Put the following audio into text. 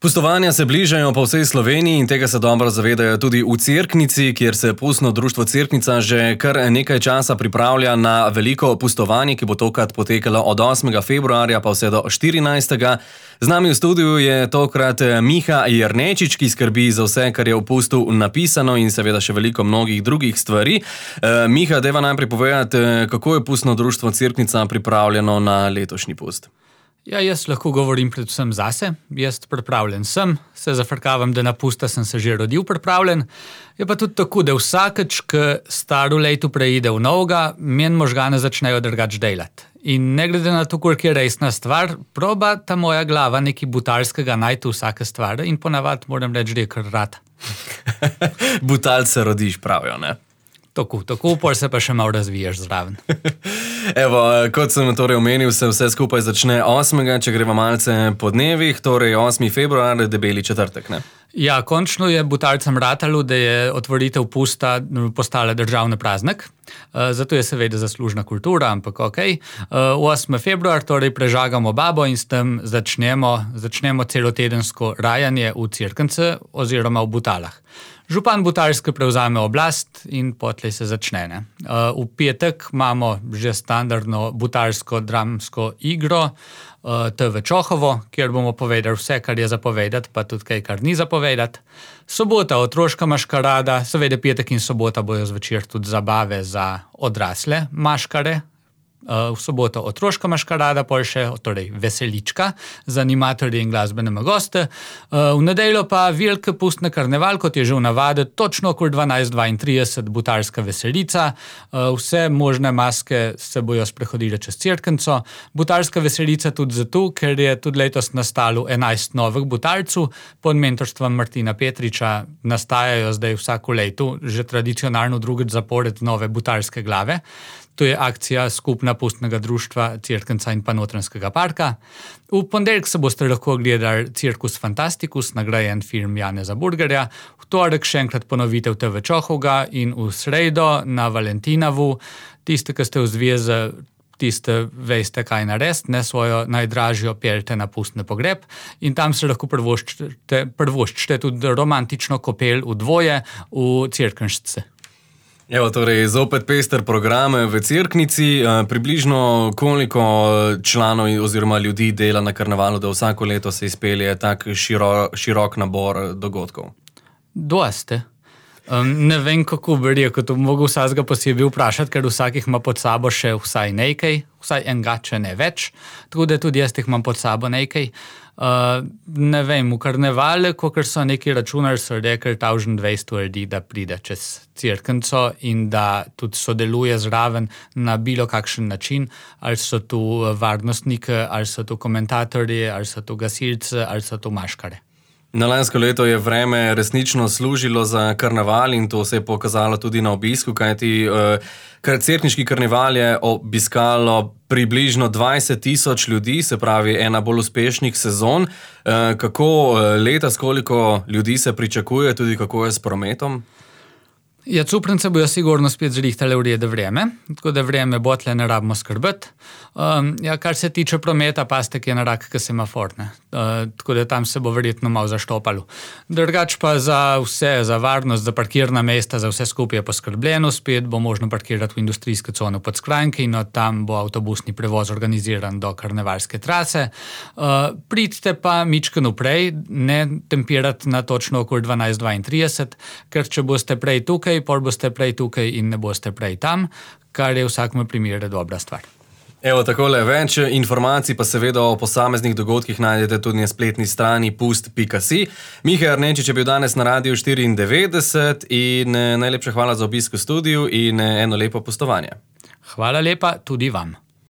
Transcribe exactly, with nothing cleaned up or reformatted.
Pustovanja se bližajo po vsej Sloveniji in tega se dobro zavedajo tudi v Cerknici, kjer se pustno društvo Cerknica že kar nekaj časa pripravlja na veliko pustovanje, ki bo tokrat potekalo od osmega februarja pa vse do štirinajstega Z nami v studiu je tokrat Miha Jernečič, ki skrbi za vse, kar je v pustu napisano in seveda še veliko mnogih drugih stvari. Miha, deva najprej povedati, kako je pustno društvo Cerknica pripravljeno na letošnji pust? Ja, jaz lahko govorim predvsem zase. Jaz pripravljen sem, se zafrkavam, da na pusta sem se že rodil pripravljen. Je pa tudi tako, da vsakeč, ko staro leto preide v novega, meni možgane začnejo drugače delati. In ne glede na to, koliko je resna stvar, proba ta moja glava nekaj butalskega najti vsake stvari in ponavadi moram reči, da je kar rad. Butal se rodiš, pravijo, ne? Tako, tako, pol se pa še malo razviješ zraven. Evo, kot sem torej omenil, se vse skupaj začne osmega če greva malce po dnevih, torej osmi februar, debeli četrtek, ne? Ja, končno je butalcem ratalo, da je otvoritev pusta postala državni praznik. Zato je seveda zaslužna kultura, ampak okej. osmi februar torej prežagamo babo in s tem začnemo, začnemo celotedensko rajanje v Cerknici oziroma v Butalah. Župan Butalske prevzame oblast in potlej se začne. Ne? V petek imamo že standardno butalsko dramsko igro T V Čohovo, kjer bomo povedali vse, kar je zapovedati, pa tudi kaj, kar ni zapovedati. Sobota otroška maškarada, seveda petek in sobota bojo zvečer tudi zabave za odrasle maškare. V soboto otroška maškarada, pol še torej veselička z animatorji in glasbenimi goste. V nedeljo pa veliki pustni karneval, kot je že v navadi, točno okoli dvanajst dvaintrideset butalska veselica. Vse možne maske se bojo sprehodile čez Cerknico. Butalska veselica tudi zato, ker je tudi letos nastalo enajst novih butalcev. Pod mentorstvom Martina Petriča nastajajo zdaj vsako leto že tradicionalno drugič zapored nove butalske glave. To je akcija skupna pustnega društva Cerknica in pa Notranjskega parka. V ponedeljek se boste lahko gledali Cirkus Fantasticus, nagrajen film Janeza Burgerja. V torek še enkrat ponovitev T V Čohovga in v sredo na Valentinovu. Tiste, ki ste v zvezi, tiste veste, kaj narediti, ne svojo najdražjo peljte na pustni pogreb in tam se lahko prvoščite, prvoščite tudi romantično kopel v dvoje v Cerknišce. Evo, torej, zopet pester program v Cerknici. Približno koliko članov oziroma ljudi dela na karnevalu, da vsako leto se izpelje tak širo, širok nabor dogodkov? Doste. Um, ne vem, kako bi rekel, to mogo vsakega posebej vprašati, ker vsakih ima pod sabo še vsaj nekaj, vsaj enega, če ne več. Tako da tudi jaz jih imam pod sabo nekaj. Uh, ne vem, v karnevale, kakor so neki računali, so rekli tisoč dvesto ljudi, da pride čez Cerknico in da tudi sodeluje zraven na bilo kakšen način, ali so tu varnostniki, ali so tu komentatorji, ali so tu gasilci, ali so tu maškare. Na lansko leto je vreme resnično služilo za karneval in to se je pokazalo tudi na obisku, kajti uh, cerkniški karneval je obiskalo približno dvajset tisoč ljudi, se pravi ena bolj uspešnih sezon. Uh, kako letos, koliko ljudi se pričakuje, tudi kako je s prometom? Ja, Cuprnice bojo sigurno spet zrihtale v redu vreme, tako da vreme bo tle ne rabimo skrbeti. Um, ja, kar se tiče prometa, pastek je na rak, ki semafor, ne. Uh, tako da tam se bo verjetno malo zaštopalo. Drugač pa za vse, za varnost, za parkirna mesta, za vse skupaj je poskrbljeno, spet bo možno parkirati v industrijske cone pod Skrajnke in od tam bo avtobusni prevoz organiziran do karnevalske trase. Uh, pridite pa mičken vprej, ne tempirati na točno okoli dvanajst dvaintrideset, ker če boste prej tukaj, pol boste prej tukaj in ne boste prej tam, kar je v vsakem primeru dobra stvar. Evo, takole, več informacij pa seveda o posameznih dogodkih najdete tudi na spletni strani pust pika si. Miha Jernečič je bil danes na Radiu štiriindevetdeset in najlepša hvala za obisk v studiu in eno lepo pustovanje. Hvala lepa tudi vam.